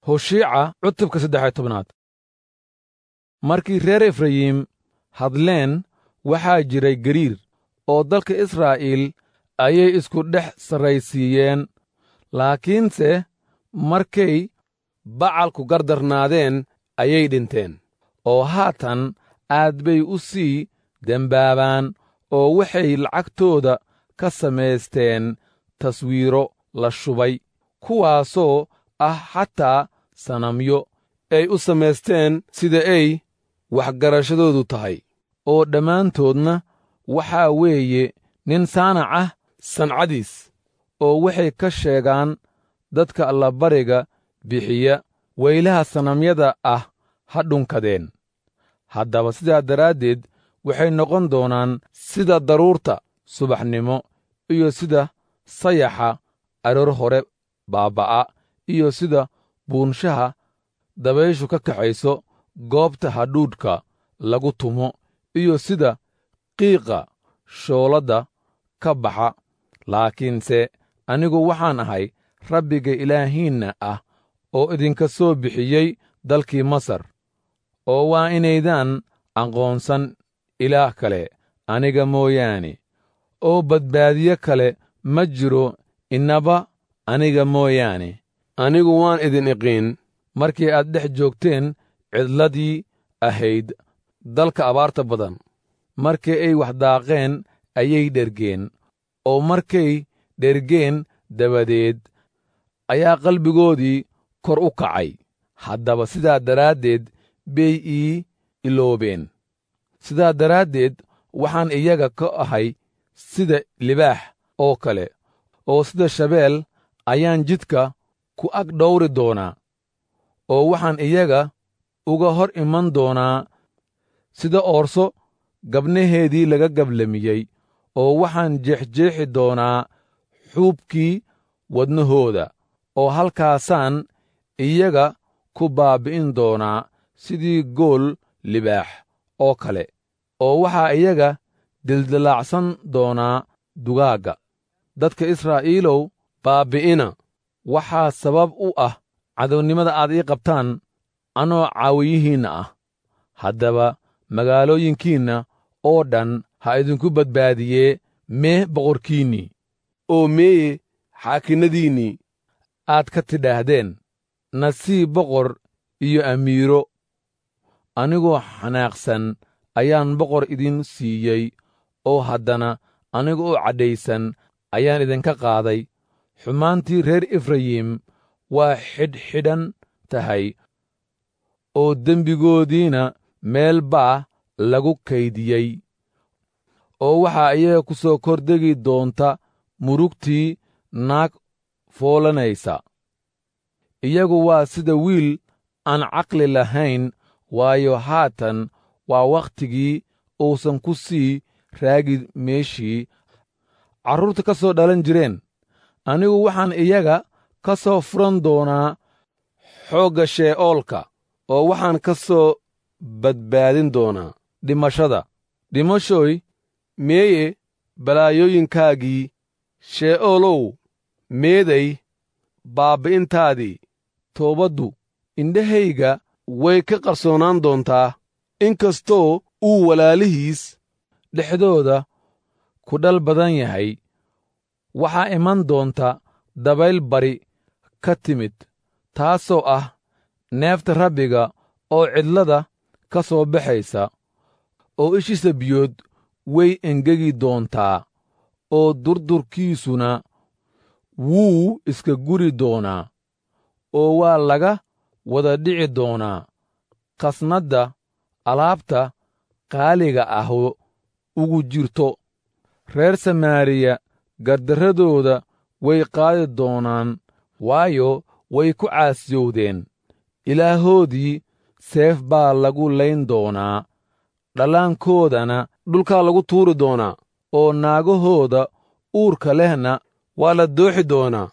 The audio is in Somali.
Hosheeca cutubka 13. Markii reer Efrayiim hadleen waxaa jiray gariir, oo dalka Israa'iil ayay isku dhex sarraysiiyeen. Laakiinse markay Bacalku gardarnaadeen ayay dhinteen, oo haatan aad bay u sii dembaabaan, oo waxay lacagtooda ka samaysteen taswiiro la shubay, kuwaasoo ah xataa sanamyo ay u samaysteen sida ay waxgarashadoodu tahay, oo dhammaantoodna waxaa weeye nin saanac ah sancadiis, oo waxay ka sheegaan dadka allabariga bixiya weylaha sanamyada ah ha dhunkadeen. Haddaba sidaa daraaddeed waxay noqon doonaan sida daruurta subaxnimo, iyo sida sayaxa aroor hore baabba'a, iyo sida buunshaha dabayshu ka kaxayso goobta hadhuudhka lagu tumo, iyo sida qiiqa shooladda ka baxa. Laakiinse anigu waxaan ahay Rabbiga Ilaahiinna ah oo idinka soo bixiyey dalkii Masar, oo waa inaydaan aqoonsan ilaah kale aniga mooyaane, oo badbaadiye kale ma jiro innaba aniga mooyaane. Anigu waan idin iqiin markii aad dhex joogteen cidladii ahayd dalka abaarta badan. Markii ay wax daaqeen ayay dhergeen, oo markay dhergeen dabadeed ayaa qalbigoodii kor u kacay. Haddaba sidaa daraaddeed bay ii iloobeen. Sidaa daraaddeed waxaan iyaga ka ahay sida libaax oo kale, oo sida shabeel ayaan jidka ku ag dhawri doonaa, oo waxaan iyaga uga hor iman doonaa sida oorso gabnaheedii laga gablamiyey, oo waxaan jeexjeexi doonaa xuubkii wadnahooda, oo halkaasaan iyaga ku baabbi'in doonaa sidii gool libaax oo kale, oo waxaa iyaga dildillaacsan doonaa dugaagga. Dadka Israa'iilow, baabbi'ina waxaa sabab u ah cadownimada aad ii qabtaan anoo caawiyihiinna ah. Haddaba magaalooyinkiinna oo dhan ha idinku badbaadiyee mee boqorkiinnii, oo meeye xaakinnadiinnii aad ka tidhaahdeen, nasiib boqor iyo amiiro. Anigoo xanaaqsan ayaan boqor idin siiyey, oo haddana aniga oo cadhaysan ayaan idinka qaaday. Xumaantii reer Efrayim waa xidhxidhan tahay, oo dembigoodiina meel baa lagu kaydiyey, oo waxaa iyaga ku soo kordegi doonta murugtii naag foolanaysa. Iyagu waa sida wiil aan caqli lahayn, waayo haatan waa wakhtigii uusan ku sii raagi meeshii carruurta ka soo dhalan jireen. Anigu waxaan iyaga ka soo furan doonaa xoogga shee'oolka, oo waxaan ka soo badbaadin doonaa dhimashada. Dhimashoy, meeye balaayooyinkaagii? Shee'oolow, meeday baabbi'intaadii? Toobaddu indhahayga way ka qarsoonaan doontaa, inkastoo uu walaalihiis dhexdooda ku dhal badan yahay. Waxaa iman doonta dabayl bari ka timid, taasoo ah neefta Rabbiga oo cidlada ka soo baxaysa, oo ishiisa biyood way engegi doontaa, oo durdurkiisuna wuu iska guri doonaa, oo waa laga wada dhici doonaa khasnadda alaabta qaaliga ah ugu jirto. Reer Samaariya gardarradooda way qaadi doonaan, waayo, way ku caasiyowdeen Ilaahoodii. Seef baa lagu layn doonaa, dhallaankoodana dhulkaa lagu tuuri doonaa, oo naagahooda uurka lehna waa la dooxi doonaa.